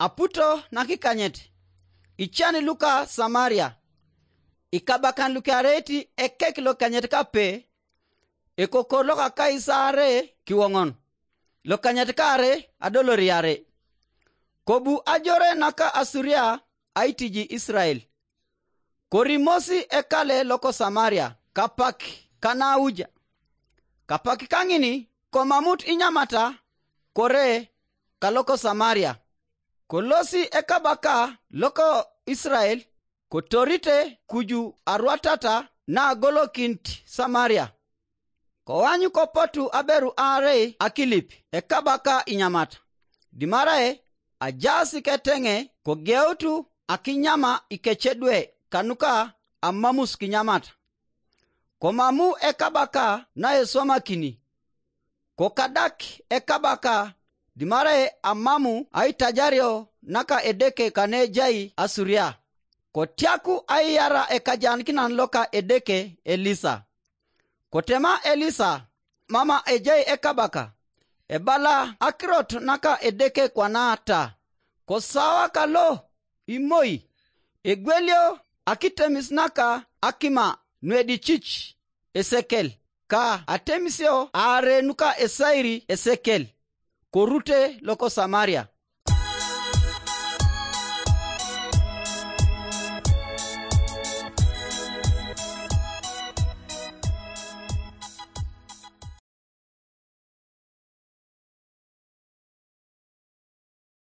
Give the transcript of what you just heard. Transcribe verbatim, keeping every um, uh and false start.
Aputo nakikanyet, ican luka Samaria. Ikabakan lukiareit ekek lokanyet kape, ekokor loka Kaisare kiwoŋon, lokanyet kaare adoloriare. Kobu ajore naka Asuria aitiji Israel. Korimosi ekale loko Samaria kapak kanauja. Kapak kaŋini komamut inyamata kore kaloko Samaria. Kolosi ekabaka loko Israel, kotorite kuju arwatata na agolokinit Samaria. Koany kopotu aberu aarei akilip ekabaka inyamata, dimarae ajaas keteŋe kogeutu akinyama ikecedwe kanuka amamus kinyamata. Komamu ekabaka naeswamakini, kokadak ekabaka, dimarae amamu aitajario naka Edeke kanejai Asuria. Kotiaku aiyara ekajanakinan loka Edeke Elisa. Kotema Elisa mama ejai ekabaka, ebala akirot naka Edeke kwana ta, kosawa kalo imoi, egwelio akitemis naka akima nuedicich esekel, ka atemisio aare nuka esairi esekel, korute loko Samaria.